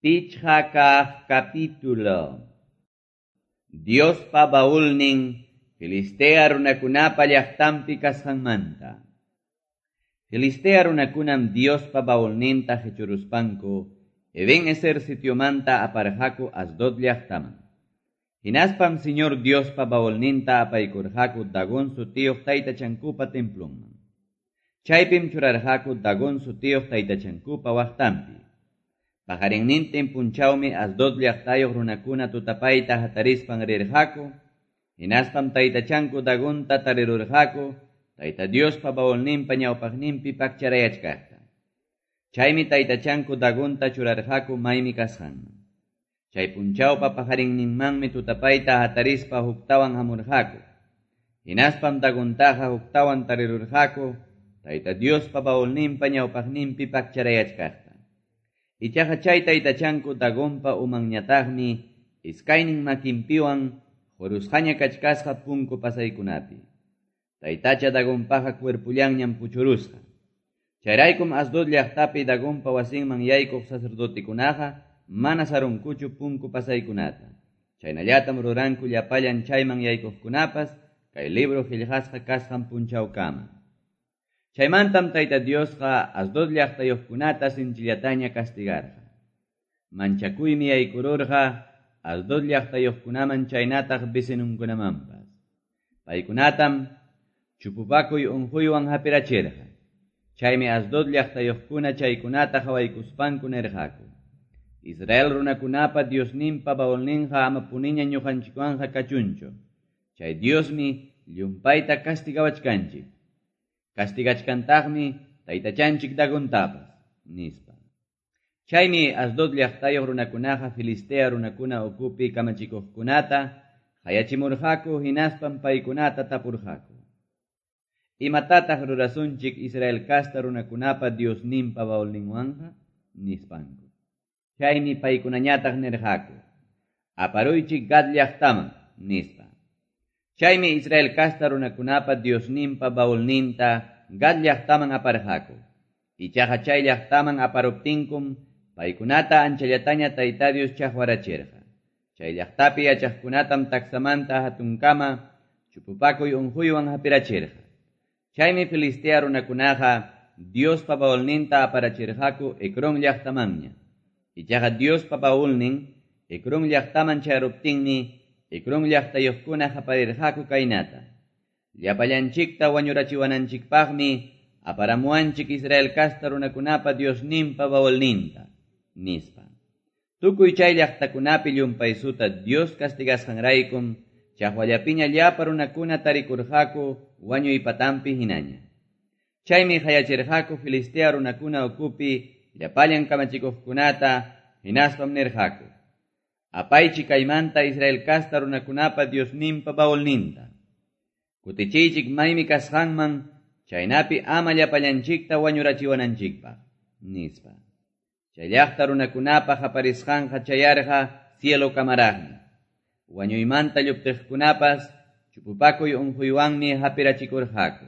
Pichqa kaq capítulo. Diospa baulnin Filistea runakunapa llaqtanpi kasqanmanta. Filistea runakunam Diospa baulninta qichuruspanku Eben-Ezer sitiomanta aparqaku Asdod llaqtaman. Hinaspam Señor Diospa baulninta apaykurqaku Dagón sutiyuq taytachankupa templonman. Chaypim churarqaku Dagón sutiyuq taytachankupa waqtanpi. Paqarinnintin punchawmi Asdod llaqtayuq runakuna tutapayta hatarispan rirqaku, hinaspam taytachanku Dagonta tarirurqaku, Tayta Diospa baulninpa ñawpaqninpi pakcharayachkaqta. Chaymi taytachanku Dagonta churarqaku maymi kasqanman. Chay punchawpa paqarinninmanmi tutapayta hatarispa huktawan hamurqaku. Hinaspam Dagontaqa huktawan tarirurqaku, Tayta Diospa baulninpa ñawpaqninpi pakcharayachkaqta. Ichaqa chay taytachanku Dagonpa umanñataqmi iskaynin makinpiwan qurusqaña kachkasqa punku pasaykunapi. Taytacha Dagonpaqa cuerpullanñam puchurusqa. Chayraykum Asdod llaqtapi Dagonpa wasinman yaykuq sacerdotekunaqa mana sarunkuchu punku pasaykunata. Chaynallatam ruranku llapallan chayman yaykuqkunapas kay libro qillqasqa kasqan punchawkama. Chaymantam Tayta Diosqa Asdod llaqtayuqkunata sinchillataña castigarqa. Manchakuymi yaykururqa Asdod llaqtayuqkunaman chaynataq vecinunkunamanpas. Paykunatam chupupakuy unquywan hapirachirqa. Chaymi Asdod llaqtayuqkuna chaykunata qhawaykuspanku nirqaku: Israel runakunapa Diosninpa baulninqa amapuniña ñuqanchikwanqa kachunchu. Chay Diosmi llumpayta castigawachkanchik. Castigachkantaqmi taytachanchik Dagontapas, nispa. Chaymi Asdod llaqtayuq runakunaqa Filistea runakuna ukupi kamachikuqkunata qayachimurqaku hinaspam paykunata tapurqaku: Imatataq rurasunchik Israel casta runakunapa Diosninpa baulninwanqa? Nispanku. Chaymi paykunañataq nirqaku: Aparuychik Gad llaqtaman, nispa. Chaymi Israel casta runakunapa Diosninpa baulninta Gad llaqtaman aparqaku. Ichaqa chay llaqtaman aparuptinkum paykunata anchallataña Tayta Dios chaqwarachirqa. Chay llaqtapi yachaqkunatam taksamanta hatunkama chupupakuy unquywan hapirachirqa. Chaymi Filistea runakunaqa Diospa baulninta aparachirqaku Ecrón llaqtamanña. Ichaqa Diospa baulnin Ecrón llaqtaman chayaruptinmi Ecrón llaqtayuqkuna qaparirqaku kaynata: Llapallanchikta wañurachiwananchikpaqmi aparamuwanchik Israel casta runakunapa Diosninpa baulninta, nispa. Tukuy chay llaqtakunapi llumpaysuta Dios castigasqanraykum chaqwallapiña llapa runakuna tarikurqaku wañuy patanpi hinaña. Chaymi qayachirqaku Filistea runakuna ukupi llapallan kamachikuqkunata hinaspam nirqaku: Apaychik kaymanta Israel casta runakunapa Diosninpa baulninta. Kutichiychik maymi kasqanman, chaynapi ama llapallanchikta wañurachiwananchikpaq, nispa. Chay llaqta runakunapa qaparisqanqa chayarqa cielo kamaraqmi. Wañuymanta lluptiqkunapas chupupakuy unquywanmi hapirachikurqaku.